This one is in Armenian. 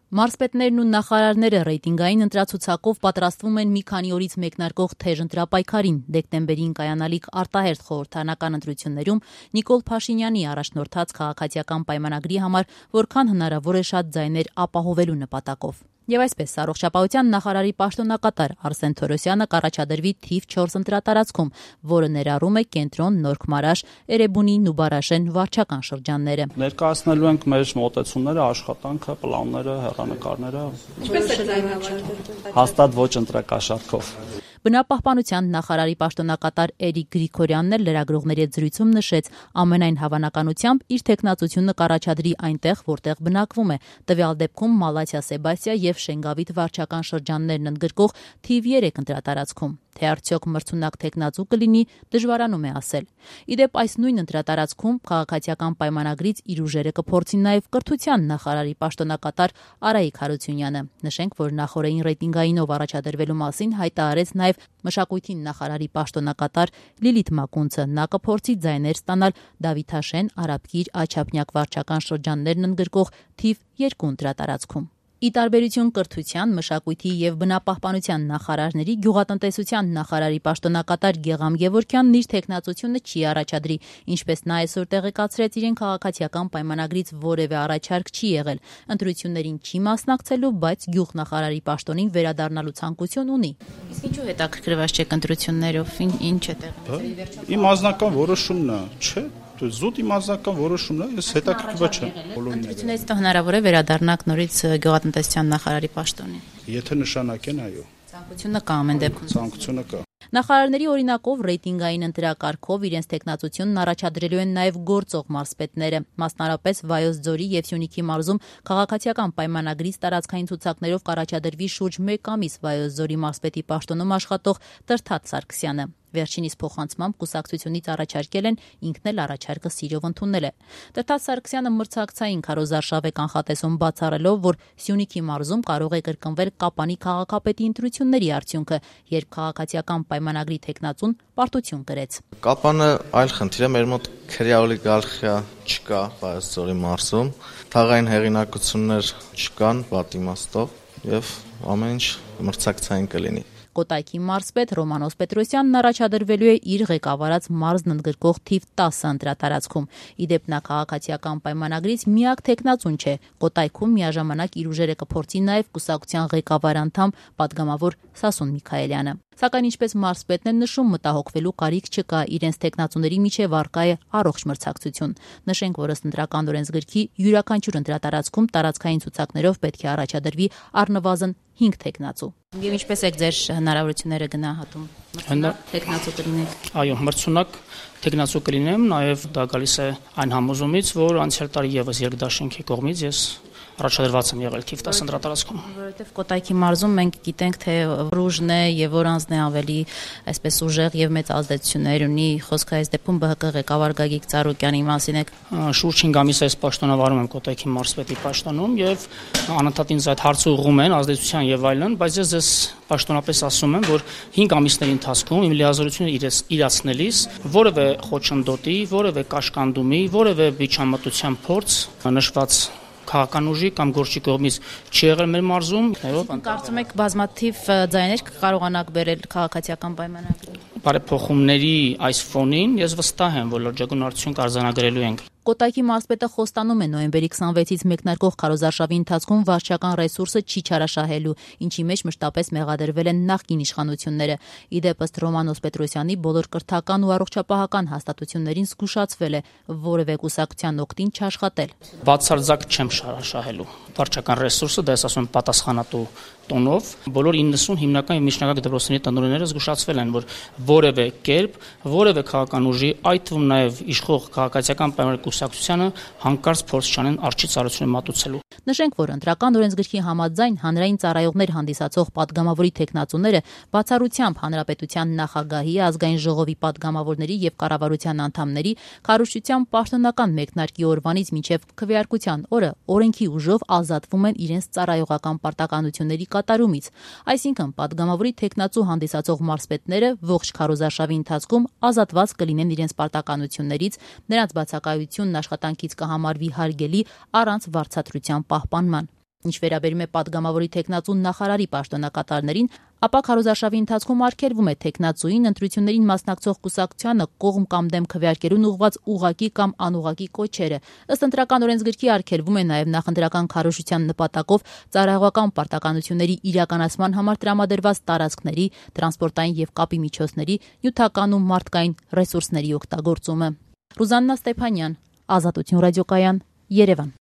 Մարզպետներն ու նախարարները ռեյտինգային ընտրացուցակով պատրաստվում են մի քանի օրից մեկնարկող թեժ ընտրապայքարին։ Դեկտեմբերին կայանալիք արտահերթ խորհրդարանական ընտրություններում Նիկոլ Փաշինյանի առաջնորդած քաղաքացիական պայմանագրի համար որքան հնարավոր է շատ ձայներ ապահովելու նպատակով։ Եվ այսպես առողջապահության նախարարի պաշտոնակատար Արսեն Թորոսյանը կառաջադրվի թիվ 4 ընտրատարածքում, որը ներառում է Կենտրոն, Նորք Մարաշ, Էրեբունի, Նուբարաշեն վարչական շրջանները։ Ներկայացնելու ենք մեր մոտեցումները, աշխատանքը, պլանները, հեռանկարները։ Ինչպես է ձայնավորվում։ Հաստատ ոչ ընտրակաշառքով։ Բնապահպանության նախարարի պաշտոնակատար Էրիկ Գրիգորյանն էլ լրագրողների հետ զրույցում նշեց, ամենայն հավանականությամբ իր թեկնածությունը կառաջադրի այնտեղ, որտեղ բնակվում է, տվյալ դեպքում Մալաթիա Սեբաստիա եւ Շենգավիթ վարչական շրջաններն ընդգրկող թիվ 3 ընտրատարածքում։ Թե արդյոք մրցունակ թեկնածու կլինի, դժվարանում է ասել։ Իդեպ այս նույն ընտրատարածքում քաղաքացիական պայմանագրից իր ուժերը կփորձի նաև կրթության նախարարի պաշտոնակատար Արայիկ Հարությունյանը։ Նշենք, որ նախորդին ռեյտինգայինով առաջադրվելու մասին հայտարարեց նաև մշակույթի նախարարի պաշտոնակատար Լիլիթ Մակունցը։ Նա կփորձի ձայներ ստանալ Դավիթաշեն, Արաբկիր, Աչափնյակ վարչական շրջաններն ընդգրկող թիվ 2 ընտրատարածքում։ Ի տարբերություն կրթության, մշակույթի եւ բնապահպանության նախարարների գյուղատնտեսության նախարարի պաշտոնակատար Գեգամ Գևորգյանն իր թեկնածությունը չի առաջադրի, ինչպես նա այսօր տեղեկացրեց, իրեն քաղաքացիական պայմանագրից որևէ առաջարկ չի եղել, ընտրություններին չի մասնակցելու, բայց գյուղնախարարի պաշտոնին վերադառնալու ցանկություն ունի։ Իսկ ինչու հետաքրքրված չեք ընտրություններով, ինչ է տեղի։ Իմ անձնական որոշումն է, չէ՞։ Զուտ իմ անձնական որոշումն է, ես հետաքրքրված չեմ բոլորին։ Ընտրություններից հետո հնարավոր է վերադառնաք նորից գյուղատնտեսության նախարարի պաշտոնին։ Եթե նշանակեն, այո։ Ցանկությունը կա ամեն դեպքում։ Ցանկությունը կա։ Նախարարների օրինակով ռեյտինգային ընտրակարգով իրենց տեխնացությունն առաջադրելու են նաև գործող մարզպետները, մասնարարպես Վայոց ձորի եւ Սյունիքի մարզում քաղաքացիական պայմանագրից տարածքային ցուցակներով կառաջադրվի շուրջ 1 ամիս Վայոց ձորի մարզպետի պաշտոնում աշխատող Տրթատ Սարգսյանը։ Վերջինիս փոխանցմամբ կուսակցությունից առաջարկել են, ինքն էլ առաջարկը սիրով ընդունել է։ Տրթատ Սարգսյանը մրցակցային քարոզարշավ է կանխատեսում բացառելով, որ Սյունիքի մարզում կարող է կրկնվել Կապանի քաղաքապետի ընտրությունների արդյունքը, երբ քաղաքացիական պայմանագրի թեկնածուն պարտություն կրեց։ Կապանը այլ խնդիր է, մեր մոտ քրեաօլիգարխիա չկա Վայոց ձորի մարզում, թաղային հեղինակություններ չկան վատ իմաստով եւ ամեն ինչ մրցակցային կլինի։ Կոտայքի մարզպետ Ռոմանոս Պետրոսյանն առաջադրվելու է իր ղեկավարած մարզն ընդգրկող թիվ 10 ընտրատարածքում։ Իդեպ նա քաղաքացիական պայմանագրից միակ թեկնածուն չէ։ Կոտայքում միաժամանակ իր ուժերը կփորձի նաև կուսակցության ղեկավար անդամ պատգամավոր Սասուն Միքայելյանը։ Սակայն ինչպես մարզպետն է նշում, մտահոգվելու կարիք չկա, իրենց թեկնածուների միջև առկա է առողջ մրցակցություն։ Նշենք, որ ըստ ընտրական օրենսգրքի յուրաքանչյուր ընտրատարածքում տարածքային ցուցակներով պետք է առաջադրվի առնվազն 5 թեկնածու։ Եվ ինչպես եք ձեր հնարավորությունները գնահատում։ Թեկնածու կլինեք։ Այո, մրցունակ թեկնածու կլինեմ, նաև դա գալիս է այն համոզումից, որ անցյալ տարի եւս երկդաշինքի կողմից ես առաջադրված եմ եղել թիվ 10 ընտրատարածքում։ Որովհետև Կոտայքի մարզում մենք գիտենք, թե ռուժն է եւ որանձն է ավելի այսպես ուժեղ եւ մեծ ազդեցություններ ունի։ Խոսքը այս դեպքում ԲՀԿ ղեկավար Գագիկ Ծառուկյանի մասին է։ Շուրջ 5 ամիս այս պաշտոնավարում եմ Կոտայքի մարզպետի պաշտոնում եւ անընդհատ ինձ այդ հարցը ուղղում են ազդեցության եւ այլն, բայց ես ձեզ պաշտոնապես ասում եմ, որ 5 ամիսների ընթացքում իմ լիազորությունը իրացնելիս որևէ խոչընդոտի, որևէ կաշկանդումի, որևէ միջամտության փորձ նշված քաղաքական ուժի կամ գործի կողմից չի եղել մեր մարզում։ Կարծում եք բազմաթիվ ձայներ կկարողանաք բերել քաղաքացիական պայմանագրի։ Բարեփոխումների այս ֆոնին ես վստահ եմ, որ լրջագույն արդյունք արձանագրելու ենք։ Կոտայքի մարզպետը խոստանում է նոյեմբերի 26-ից մեկնարկող քարոզարշավի ընթացքում վարչական ռեսուրսը չի չարաշահելու, ինչի մեջ մշտապես մեղադրվել են նախկին իշխանությունները։ Իդեպ ըստ Ռոմանոս Պետրոսյանի բոլոր կրթական ու առողջապահական հաստատություններին զգուշացվել է որևէ կուսակցության օգտին չաշխատել։ Բացարձակ չեմ շարաշահելու վարչական ռեսուրսը, դա ես ասում եմ պատասխանատու տոնով, բոլոր 90 հիմնական եւ միջնակարգ դպրոցների տնօրենները զգուշացվել են, որ որևէ կերպ, որևէ քաղաքական ուժի, այդ թվում նաեւ իշխող քաղաքացիական պայմանագրի կուսակցությանը հանկարծ փորձ չանեն արջի ծառայությունը մատուցելու։ Նշենք, որ ընտրական օրենսգրքի համաձայն հանրային ծառայողներ հանդիսացող падգամավորի թեկնածուները բացառությամբ հանրապետության նախագահի, ազգային ժողովի падգամավորների եւ կառավարության անդամների քարոզչության պաշտոնական մեկնարկի օրվանից մինչեւ քվեարկության օրը օրենքի ուժով ազատվում են իրենց ծառայողական պարտականությունների կատարումից։ Այսինքն, падգամավորի թեկնածու հանդիսացող մարզպետները ողջ քարոզարշավի ընթացքում ազատված կլինեն իրենց պարտականություններից, նրանց բացակայությունն աշխատանքից կհամարվի հարգելի առանց վարձատրության պահպանման։ Ինչ վերաբերում է падգամավորի թեկնածու նախարարի պաշտոնակատարներին, ապա քարոզարշավի ընթացքում արգելվում է թեկնածուին ընտրություններին մասնակցող կուսակցությանը կողմ կամ դեմ քվեարկելուն ուղղված ուղղակի կամ անուղղակի կոչերը։ Ըստ ընտրական օրենսգրքի արգելվում է նաև նախընտրական քարոզչության նպատակով ծառայողական պարտականությունների իրականացման համար տրամադրված տարածքների, տրանսպորտային եւ կապի միջոցների, նյութական ու մարդկային ռեսուրսների օգտագործումը։ Ռուզաննա Ստեփանյան, Ազատություն ռադիոկայան, Երևան։